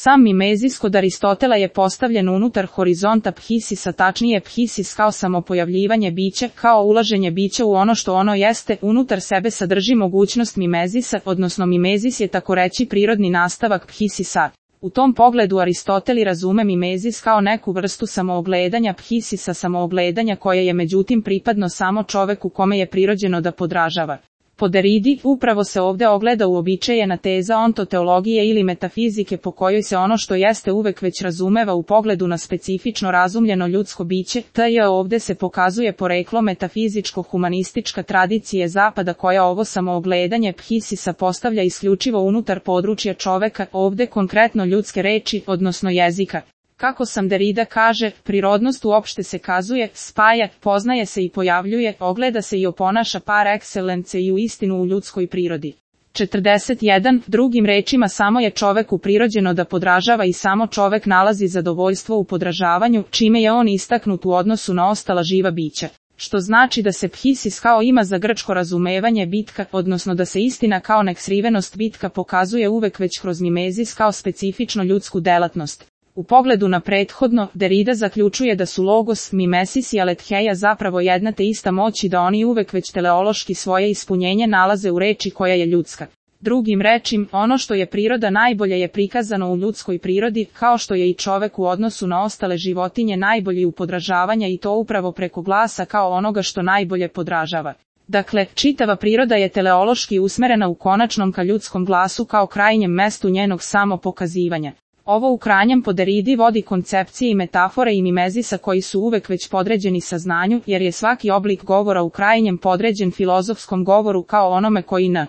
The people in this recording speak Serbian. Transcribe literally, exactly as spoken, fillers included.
Sam mimezis kod Aristotela je postavljen unutar horizonta phisisa, tačnije phisis kao samopojavljivanje bića, kao ulaženje bića u ono što ono jeste, unutar sebe sadrži mogućnost mimezisa, odnosno mimezis je takoreći prirodni nastavak phisisa. U tom pogledu Aristoteli razume mimezis kao neku vrstu samoogledanja phisisa, samoogledanja koje je međutim pripadno samo čoveku kome je prirođeno da podražava. Po Deridi, upravo se ovde ogleda uobičajena teza ontoteologije ili metafizike po kojoj se ono što jeste uvek već razumeva u pogledu na specifično razumljeno ljudsko biće, te ovde se pokazuje poreklo metafizičko-humanistička tradicije Zapada koja ovo samoogledanje phisisa postavlja isključivo unutar područja čoveka, ovde konkretno ljudske reči, odnosno jezika. Kako sam Derida kaže, prirodnost uopšte se kazuje, spaja, poznaje se i pojavljuje, ogleda se i oponaša par excellence i u istinu u ljudskoj prirodi. četrdeset jedan. Drugim rečima samo je čoveku prirođeno da podražava i samo čovek nalazi zadovoljstvo u podražavanju, čime je on istaknut u odnosu na ostala živa bića. Što znači da se phisis kao ima za grčko razumevanje bitka, odnosno da se istina kao neksrivenost bitka pokazuje uvek već kroz mimezis kao specifično ljudsku delatnost. U pogledu na prethodno, Derida zaključuje da su logos, mimesis i aletheia zapravo jedna te ista moć i da oni uvek već teleološki svoje ispunjenje nalaze u reči koja je ljudska. Drugim rečim, ono što je priroda najbolje je prikazano u ljudskoj prirodi, kao što je i čovek u odnosu na ostale životinje najbolji u podražavanja i to upravo preko glasa kao onoga što najbolje podražava. Dakle, čitava priroda je teleološki usmerena u konačnom ka ljudskom glasu kao krajnjem mestu njenog samopokazivanja. Ovo u krajnjem po Deridi vodi koncepcije i metafore i mimezisa koji su uvek već podređeni saznanju, jer je svaki oblik govora u krajnjem podređen filozofskom govoru kao onome koji n.